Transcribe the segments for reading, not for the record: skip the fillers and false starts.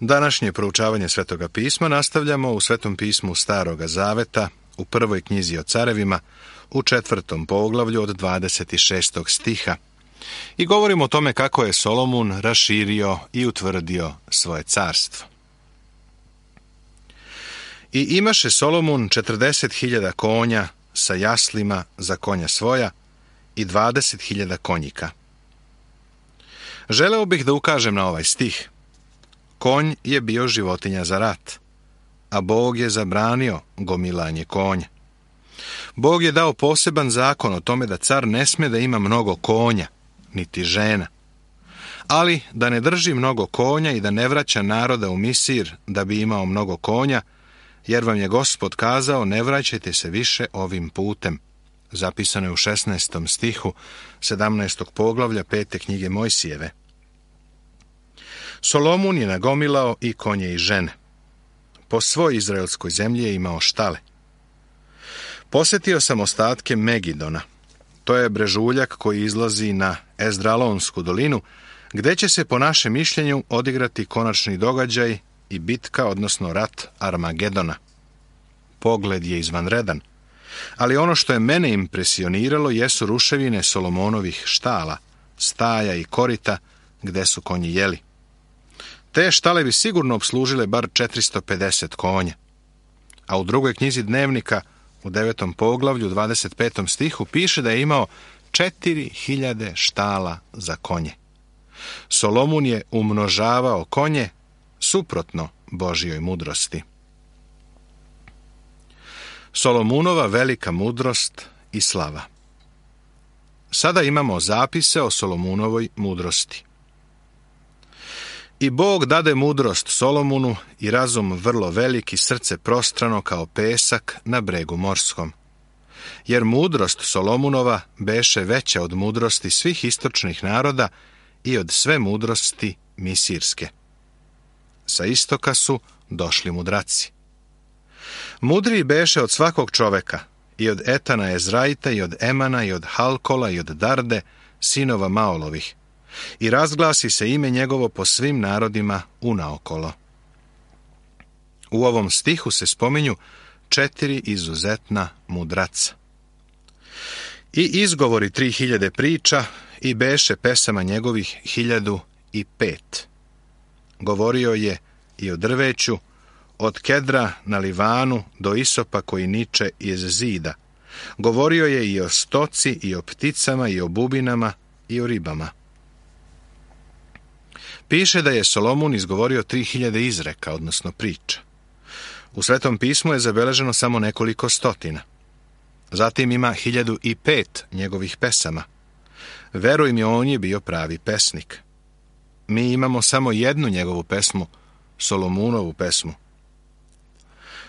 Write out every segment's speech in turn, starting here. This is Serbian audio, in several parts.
Današnje proučavanje Svetoga pisma nastavljamo u Svetom pismu Staroga Zaveta, u prvoj knjizi o carevima, u 4. poglavlju od 26. stiha. I govorimo o tome kako je Solomon raširio i utvrdio svoje carstvo. I imaše Solomon 40.000 konja sa jaslima za konja svoja i 20.000 konjika. Želeo bih da ukažem na ovaj stih. Konj je bio životinja za rat, a Bog je zabranio gomilanje konja. Bog je dao poseban zakon o tome da car ne sme da ima mnogo konja, niti žena, ali da ne drži mnogo konja i da ne vraća naroda u Misir da bi imao mnogo konja, jer vam je Gospod kazao, ne vraćajte se više ovim putem. Zapisano je u 16. stihu 17. poglavlja 5. knjige Mojsijeve. Solomon je nagomilao i konje i žene. Po svoj izraelskoj zemlji je imao štale. Posjetio sam ostatke Megidona. To je brežuljak koji izlazi na Ezdralonsku dolinu, gdje će se po našem mišljenju odigrati konačni događaj i bitka, odnosno rat Armagedona. Pogled je izvanredan, ali ono što je mene impresioniralo jesu ruševine Solomonovih štala, staja i korita gdje su konji jeli. Te štale bi sigurno obslužile bar 450 konja. A u drugoj knjizi Dnevnika, u 9. poglavlju, 25. stihu, piše da je imao 4.000 štala za konje. Solomon je umnožavao konje suprotno Božjoj mudrosti. Solomunova velika mudrost i slava. Sada imamo zapise o Solomunovoj mudrosti. I Bog dade mudrost Solomonu i razum vrlo velik i srce prostrano kao pesak na bregu morskom. Jer mudrost Solomunova beše veća od mudrosti svih istočnih naroda i od sve mudrosti misirske. Sa istoka su došli mudraci. Mudriji beše od svakog čoveka, i od Etana Ezraita, i od Emana, i od Halkola, i od Darde, sinova Maolovih, i razglasi se ime njegovo po svim narodima unaokolo. U ovom stihu se spominju 4 izuzetna mudraca. I izgovori 3.000 priča, i beše pesama njegovih 1.005. Govorio je i o drveću, od kedra na Livanu do isopa koji niče iz zida. Govorio je i o stoci, i o pticama, i o bubinama, i o ribama. Piše da je Solomon izgovorio 3.000 izreka, odnosno priča. U Svetom pismu je zabeleženo samo nekoliko stotina. Zatim ima 1.005 njegovih pesama. Veruj mi, on je bio pravi pesnik. Mi imamo samo jednu njegovu pesmu, Solomunovu pesmu.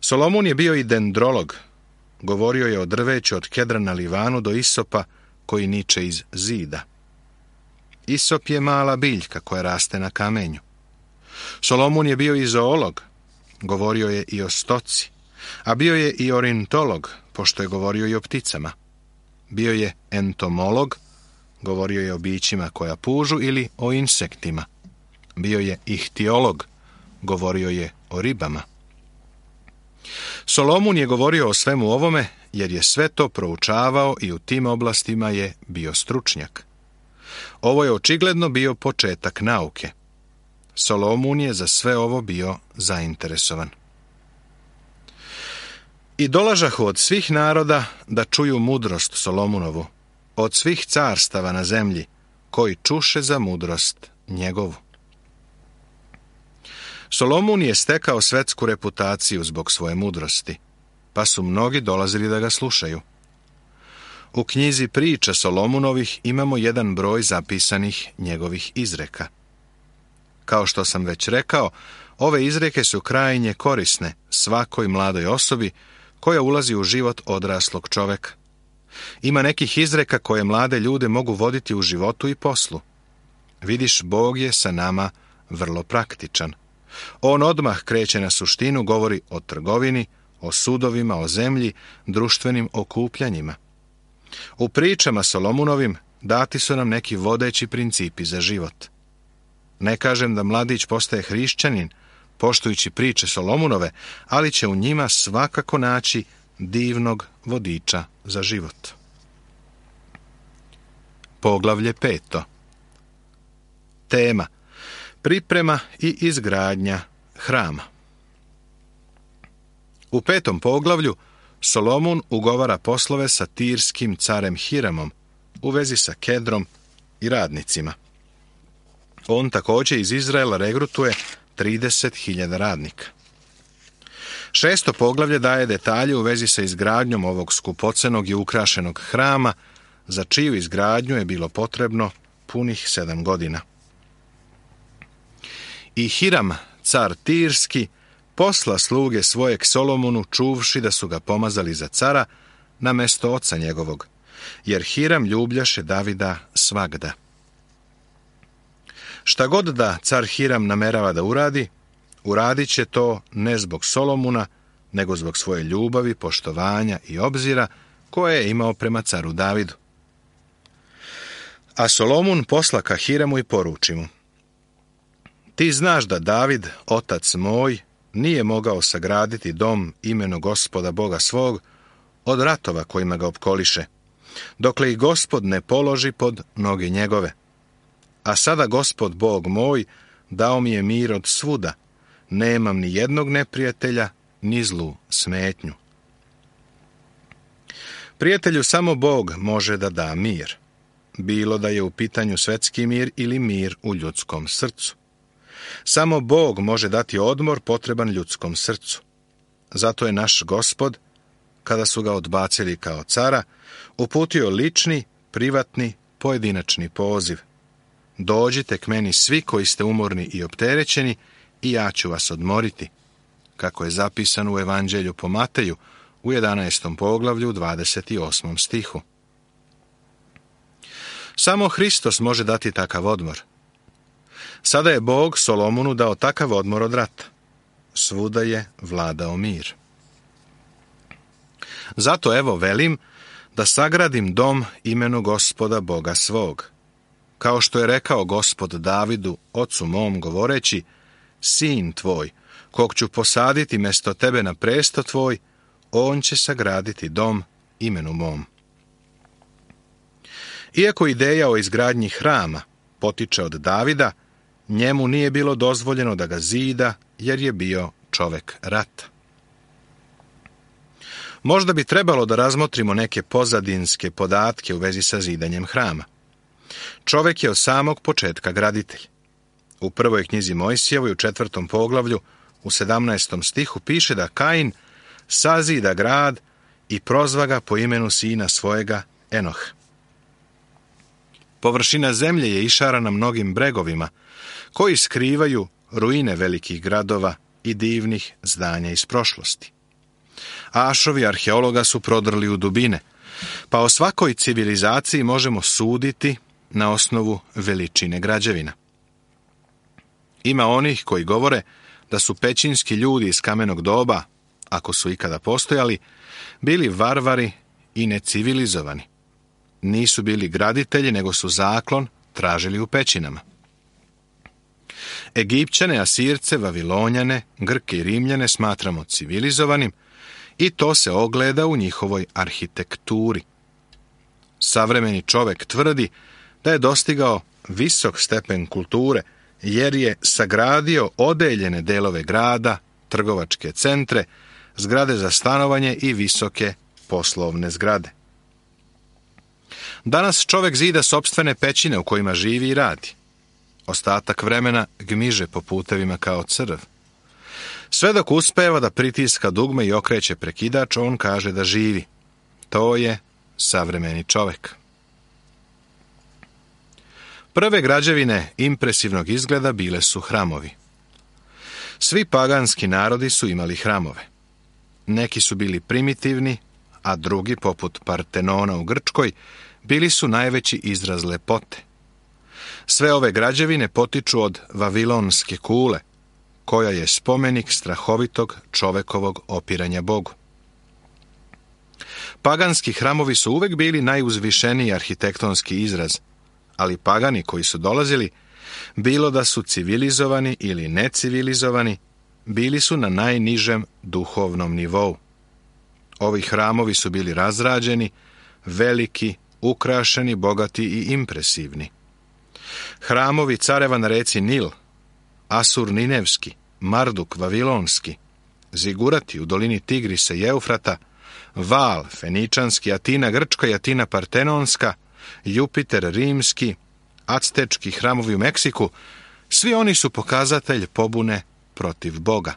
Solomon je bio i dendrolog. Govorio je o drveću od kedra na Livanu do isopa koji niče iz zida. Isop je mala biljka koja raste na kamenju. Solomon je bio i zoolog. Govorio je i o stoci. A bio je i ornitolog, pošto je govorio i o pticama. Bio je entomolog. Govorio je o bićima koja pužu ili o insektima. Bio je ihtiolog. Govorio je o ribama. Solomon je govorio o svemu ovome, jer je sve to proučavao i u tim oblastima je bio stručnjak. Ovo je očigledno bio početak nauke. Solomon je za sve ovo bio zainteresovan. I dolažahu od svih naroda da čuju mudrost Solomunovu, od svih carstava na zemlji, koji čuše za mudrost njegovu. Solomon je stekao svetsku reputaciju zbog svoje mudrosti, pa su mnogi dolazili da ga slušaju. U knjizi priča Solomunovih imamo jedan broj zapisanih njegovih izreka. Kao što sam već rekao, ove izreke su krajnje korisne svakoj mladoj osobi koja ulazi u život odraslog čoveka. Ima nekih izreka koje mlade ljude mogu voditi u životu i poslu. Vidiš, Bog je sa nama vrlo praktičan. On odmah kreće na suštinu, govori o trgovini, o sudovima, o zemlji, društvenim okupljanjima. U pričama Solomunovim dati su nam neki vodeći principi za život. Ne kažem da mladić postaje hrišćanin poštujući priče Solomunove, ali će u njima svakako naći divnog vodiča za život. Poglavlje 5. Tema: priprema i izgradnja hrama. U 5. poglavlju Solomon ugovara poslove sa tirskim carem Hiramom u vezi sa kedrom i radnicima. On također iz Izraela regrutuje 30.000 radnika. 6. poglavlje daje detalje u vezi sa izgradnjom ovog skupocenog i ukrašenog hrama, za čiju izgradnju je bilo potrebno punih 7 godina. I Hiram, car tirski, posla sluge svoje k Solomonu, čuvši da su ga pomazali za cara na mesto oca njegovog, jer Hiram ljubljaše Davida svagda. Šta god da car Hiram namerava da uradi, uradit će to ne zbog Solomuna, nego zbog svoje ljubavi, poštovanja i obzira koje je imao prema caru Davidu. A Solomon posla ka Hiramu i poruči mu: ti znaš da David, otac moj, nije mogao sagraditi dom imenu Gospoda Boga svog od ratova kojima ga opkoliše, dokle i Gospod ne položi pod noge njegove. A sada Gospod Bog moj dao mi je mir od svuda, nemam ni jednog neprijatelja, ni zlu smetnju. Prijatelju samo Bog može da da mir, bilo da je u pitanju svetski mir ili mir u ljudskom srcu. Samo Bog može dati odmor potreban ljudskom srcu. Zato je naš Gospod, kada su ga odbacili kao cara, uputio lični, privatni, pojedinačni poziv: dođite k meni svi koji ste umorni i opterećeni i ja ću vas odmoriti, kako je zapisano u Evanđelju po Mateju u 11. poglavlju 28. stihu. Samo Hristos može dati takav odmor. Sada je Bog Solomonu dao takav odmor od rata. Svuda je vladao mir. Zato evo velim da sagradim dom imenu Gospoda Boga svog. Kao što je rekao Gospod Davidu, ocu mom, govoreći: sin tvoj, kog ću posaditi mjesto tebe na presto tvoj, on će sagraditi dom imenu mom. Iako ideja o izgradnji hrama potiče od Davida, njemu nije bilo dozvoljeno da ga zida, jer je bio čovek rata. Možda bi trebalo da razmotrimo neke pozadinske podatke u vezi sa zidanjem hrama. Čovek je od samog početka graditelj. U prvoj knjizi Mojsijevoj u 4. poglavlju u 17. stihu piše da Kain sazida grad i prozva ga po imenu sina svojega Enoh. Površina zemlje je išarana mnogim bregovima, koji skrivaju ruine velikih gradova i divnih zdanja iz prošlosti. Ašovi arheologa su prodrli u dubine, pa o svakoj civilizaciji možemo suditi na osnovu veličine građevina. Ima onih koji govore da su pećinski ljudi iz kamenog doba, ako su ikada postojali, bili varvari i necivilizovani. Nisu bili graditelji, nego su zaklon tražili u pećinama. Egipćane, Asirce, Vavilonjane, Grke i Rimljane smatramo civilizovanim i to se ogleda u njihovoj arhitekturi. Savremeni čovek tvrdi da je dostigao visok stepen kulture, jer je sagradio odeljene delove grada, trgovačke centre, zgrade za stanovanje i visoke poslovne zgrade. Danas čovek zida sopstvene pećine u kojima živi i radi. Ostatak vremena gmiže po putevima kao crv. Sve dok uspeva da pritiska dugme i okreće prekidač, on kaže da živi. To je savremeni čovek. Prve građevine impresivnog izgleda bile su hramovi. Svi paganski narodi su imali hramove. Neki su bili primitivni, a drugi, poput Partenona u Grčkoj, bili su najveći izraz lepote. Sve ove građevine potiču od Vavilonske kule, koja je spomenik strahovitog čovekovog opiranja Bogu. Paganski hramovi su uvek bili najuzvišeniji arhitektonski izraz, ali pagani koji su dolazili, bilo da su civilizovani ili necivilizovani, bili su na najnižem duhovnom nivou. Ovi hramovi su bili razrađeni, veliki, ukrašeni, bogati i impresivni. Hramovi careva na reci Nil, Asur Ninevski, Marduk Vavilonski, Zigurati u dolini Tigrisa i Eufrata, Val Feničanski, Atina Grčka i Atina Partenonska, Jupiter Rimski, Actečki hramovi u Meksiku, svi oni su pokazatelj pobune protiv Boga.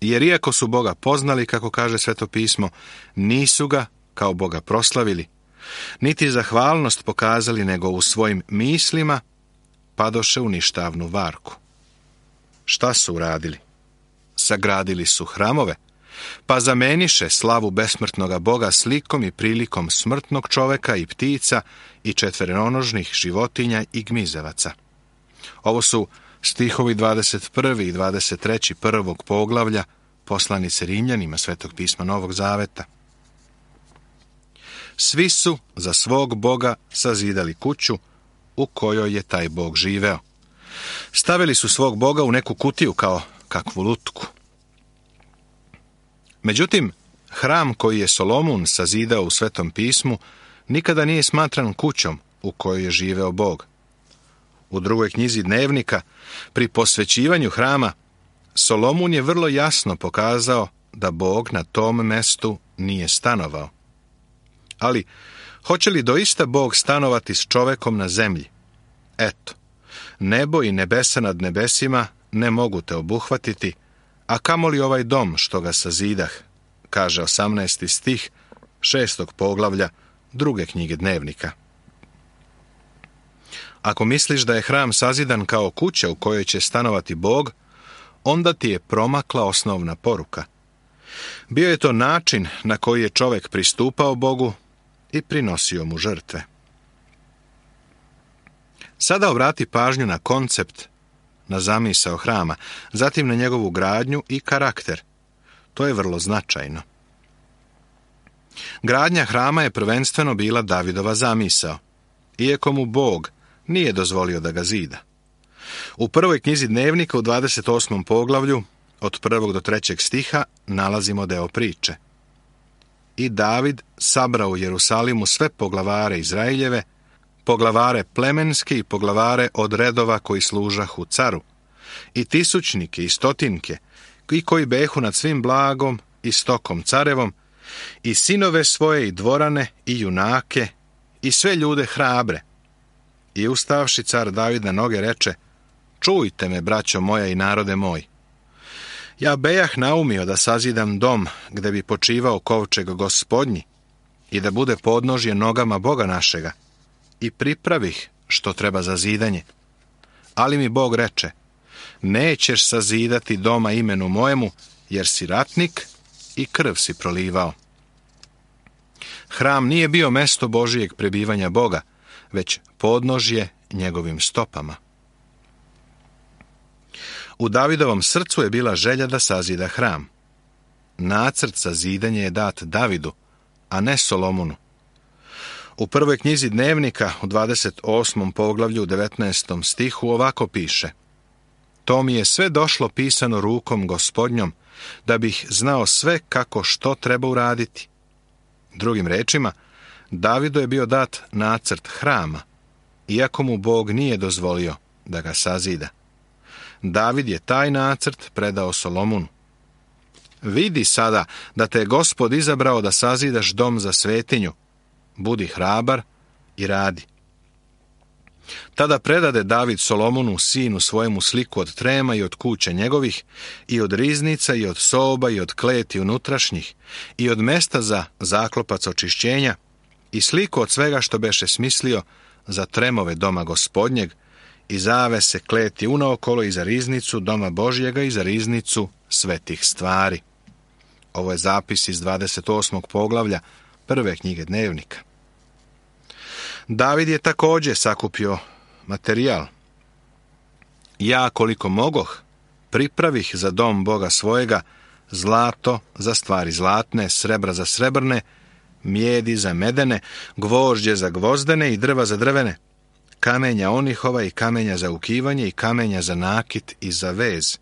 Jer iako su Boga poznali, kako kaže Sveto pismo, nisu ga kao Boga proslavili, niti zahvalnost pokazali, nego u svojim mislima padoše u ništavnu varku. Šta su uradili? Sagradili su hramove, pa zameniše slavu besmrtnoga Boga slikom i prilikom smrtnog čoveka i ptica i četverenonožnih životinja i gmizevaca. Ovo su stihovi 21. i 23. prvog poglavlja poslanice Rimljanima Svetog pisma Novog Zaveta. Svi su za svog Boga sazidali kuću u kojoj je taj Bog živeo. Stavili su svog Boga u neku kutiju kao kakvu lutku. Međutim, hram koji je Solomon sazidao u Svetom pismu nikada nije smatran kućom u kojoj je živeo Bog. U drugoj knjizi Dnevnika, pri posvećivanju hrama, Solomon je vrlo jasno pokazao da Bog na tom mestu nije stanovao. Ali, hoće li doista Bog stanovati s čovekom na zemlji? Eto, nebo i nebesa nad nebesima ne mogu te obuhvatiti, a kamoli ovaj dom što ga sazidah, kaže 18. stih 6. poglavlja druge knjige Dnevnika. Ako misliš da je hram sazidan kao kuća u kojoj će stanovati Bog, onda ti je promakla osnovna poruka. Bio je to način na koji je čovjek pristupao Bogu i prinosio mu žrtve. Sada obrati pažnju na koncept, na zamisao hrama, zatim na njegovu gradnju i karakter. To je vrlo značajno. Gradnja hrama je prvenstveno bila Davidova zamisao, iako mu Bog nije dozvolio da ga zida. U prvoj knjizi Dnevnika u 28. poglavlju, od 1. do 3. stiha, nalazimo deo priče. I David sabrao u Jerusalimu sve poglavare Izraeljeve, poglavare plemenske i poglavare od redova koji služahu caru, i tisućnike i stotinke, i koji behu nad svim blagom i stokom carevom, i sinove svoje i dvorane i junake, i sve ljude hrabre. I ustavši car David na noge reče: čujte me, braćo moja i narode moj. Ja bejah naumio da sazidam dom gde bi počivao kovčeg Gospodnji i da bude podnožje nogama Boga našega, i pripravih što treba za zidanje. Ali mi Bog reče: nećeš sazidati doma imenu mojemu, jer si ratnik i krv si prolivao. Hram nije bio mesto Božijeg prebivanja Boga, već podnožje njegovim stopama. U Davidovom srcu je bila želja da sazida hram. Nacrt za zidanje je dat Davidu, a ne Solomonu. U prvoj knjizi Dnevnika, u 28. poglavlju, 19. stihu, ovako piše: to mi je sve došlo pisano rukom Gospodnjom, da bih znao sve kako što treba uraditi. Drugim rečima, Davidu je bio dat nacrt hrama, iako mu Bog nije dozvolio da ga sazida. David je taj nacrt predao Solomonu. Vidi sada da te je Gospod izabrao da sazidaš dom za svetinju. Budi hrabar i radi. Tada predade David Solomonu, sinu svojemu, sliku od trema i od kuća njegovih, i od riznica, i od soba, i od kleti unutrašnjih, i od mesta za zaklopac očišćenja, i sliku od svega što beše smislio za tremove doma Gospodnjeg, i zavese kleti unaokolo, i za riznicu doma Božjega, i za riznicu svetih stvari. Ovo je zapis iz 28. poglavlja prve knjige Dnevnika. David je također sakupio materijal. Ja, koliko mogoh, pripravih za dom Boga svojega zlato za stvari zlatne, srebra za srebrne, mijedi za medene, gvožđe za gvozdene i drva za drvene, kamenja onihova i kamenja za ukivanje i kamenja za nakit i za vez,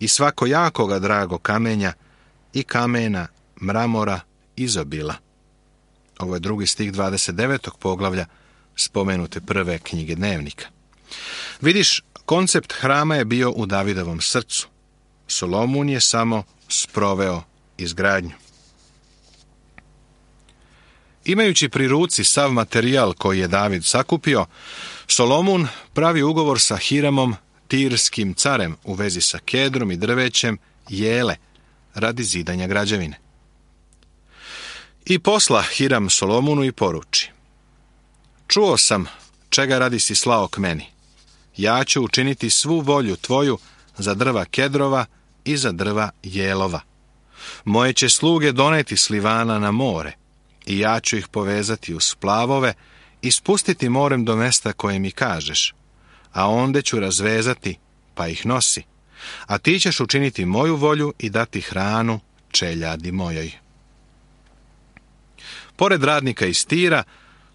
i svakojakoga drago kamenja i kamena, mramora, izobila. Ovo je 2. stih 29. poglavlja spomenute prve knjige Dnevnika. Vidiš, koncept hrama je bio u Davidovom srcu. Solomon je samo sproveo izgradnju. Imajući pri ruci sav materijal koji je David sakupio, Solomon pravi ugovor sa Hiramom, tirskim carem, u vezi sa kedrom i drvećem jele radi zidanja građevine. I posla Hiram Solomonu i poruči: čuo sam čega radi si slao k meni. Ja ću učiniti svu volju tvoju za drva kedrova i za drva jelova. Moje će sluge doneti s Livana na more i ja ću ih povezati u splavove i spustiti morem do mesta koje mi kažeš, a onda ću razvezati pa ih nosi, a ti ćeš učiniti moju volju i dati hranu čeljadi mojoj. Pored radnika iz Tira,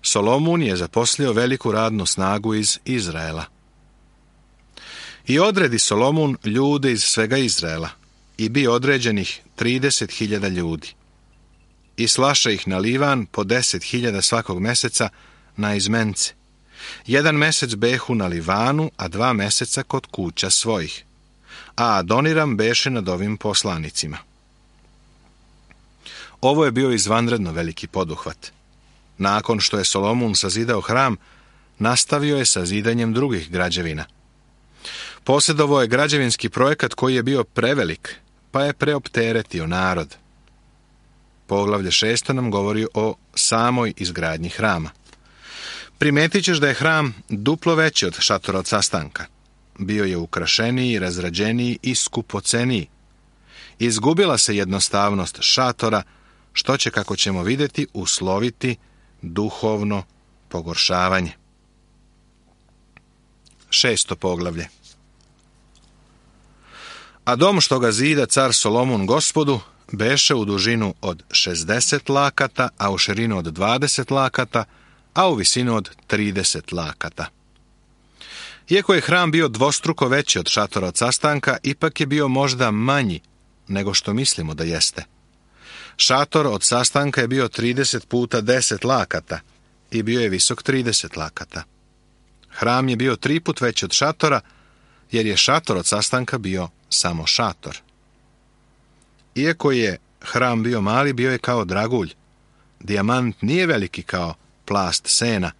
Solomon je zaposlio veliku radnu snagu iz Izraela. I odredi Solomon ljude iz svega Izraela, i bi određenih 30.000 ljudi. I slaša ih na Livan po 10.000 svakog meseca na izmence. 1 mesec behu na Livanu, a 2 meseca kod kuća svojih. A Adoniram beše nad ovim poslanicima. Ovo je bio izvanredno veliki poduhvat. Nakon što je Solomon sazidao hram, nastavio je sa zidanjem drugih građevina. Posjedovao je građevinski projekat koji je bio prevelik, pa je preopteretio narod. Poglavlje 6. nam govori o samoj izgradnji hrama. Primetit ćeš da je hram duplo veći od šatora od sastanka. Bio je ukrašeniji, razrađeniji i skupoceniji. Izgubila se jednostavnost šatora, što će, kako ćemo vidjeti, usloviti duhovno pogoršavanje. 6. poglavlje. A dom što ga zida car Solomon Gospodu beše u dužinu od 60 lakata, a u širinu od 20 lakata, a u visinu od 30 lakata. Iako je hram bio dvostruko veći od šatora od sastanka, ipak je bio možda manji nego što mislimo da jeste. Šator od sastanka je bio 30 puta 10 lakata i bio je visok 30 lakata. Hram je bio 3 put veći od šatora, jer je šator od sastanka bio samo šator. Iako je hram bio mali, bio je kao dragulj. Dijamant nije veliki kao plast sena,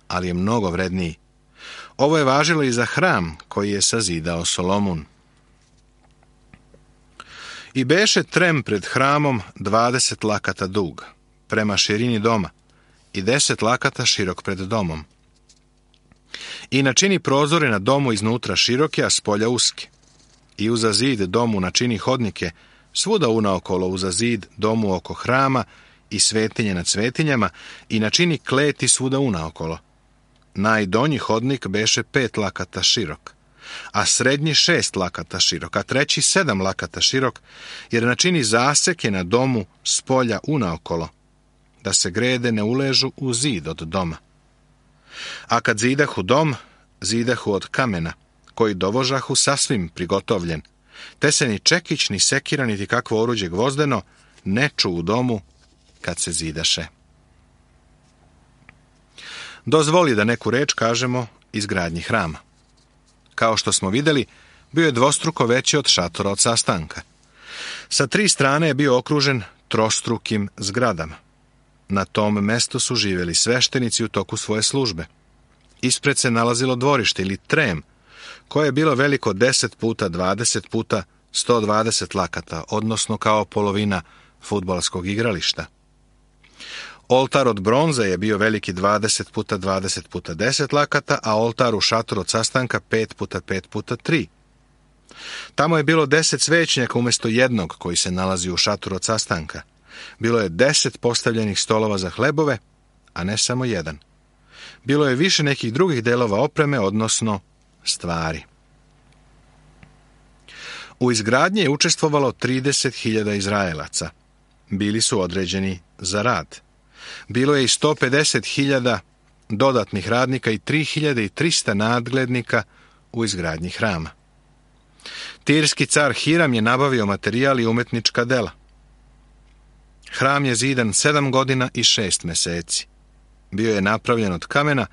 ali je mnogo vredniji. Ovo je važilo i za hram koji je sazidao Solomon. I beše trem pred hramom 20 lakata dug, prema širini doma, i 10 lakata širok pred domom. I načini prozore na domu iznutra široke, a spolja uske. I uza zid domu načini hodnike, svuda unaokolo uza zid domu oko hrama i svetinje nad svetinjama, i načini kleti svuda unaokolo. Najdonji hodnik beše 5 lakata širok, a srednji 6 lakata širok, a treći 7 lakata širok, jer načini zaseke na domu spolja unaokolo, da se grede ne uležu u zid od doma. A kad zidahu dom, zidahu od kamena, koji dovožahu sasvim prigotovljen, te se ni čekić, ni sekira, niti kakvo oruđe gvozdeno ne ču u domu kad se zidaše. Dozvoli da neku reč kažemo izgradnji hrama. Kao što smo vidjeli, bio je dvostruko veći od šatora od sastanka. Sa 3 strane je bio okružen trostrukim zgradama. Na tom mestu su živjeli sveštenici u toku svoje službe. Ispred se nalazilo dvorište ili trem, koje je bilo veliko 10 puta 20 puta 120 lakata, odnosno kao polovina fudbalskog igrališta. Oltar od bronze je bio veliki 20 puta 20 puta 10 lakata, a oltar u šatoru od sastanka 5 puta 5 puta 3. Tamo je bilo 10 svećnjaka umjesto jednog koji se nalazi u šatoru od sastanka. Bilo je 10 postavljenih stolova za hlebove, a ne samo jedan. Bilo je više nekih drugih delova opreme, odnosno stvari. U izgradnji je učestvovalo 30.000 Izraelaca. Bili su određeni za rad. Bilo je i 150.000 dodatnih radnika i 3.300 nadglednika u izgradnji hrama. Tirski car Hiram je nabavio materijal i umetnička dela. Hram je zidan 7 godina i 6 meseci. Bio je napravljen od kamena,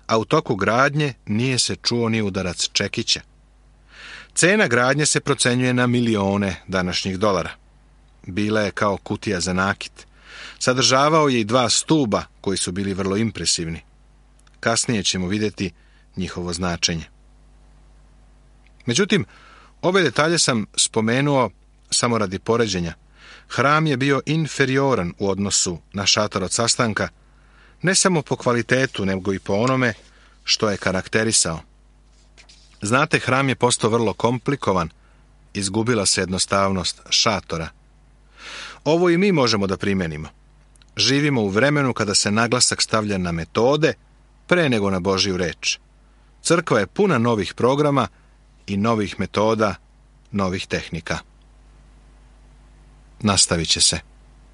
a u toku gradnje nije se čuo ni udarac čekića. Cena gradnje se procenjuje na milione današnjih dolara. Bila je kao kutija za nakit. Sadržavao je i 2 stuba koji su bili vrlo impresivni. Kasnije ćemo vidjeti njihovo značenje. Međutim, ove detalje sam spomenuo samo radi poređenja. Hram je bio inferioran u odnosu na šator od sastanka, ne samo po kvalitetu, nego i po onome što je karakterisao. Znate, hram je postao vrlo komplikovan, izgubila se jednostavnost šatora. Ovo i mi možemo da primenimo. Živimo u vremenu kada se naglasak stavlja na metode pre nego na Božju reč. Crkva je puna novih programa i novih metoda, novih tehnika. Nastavit će se.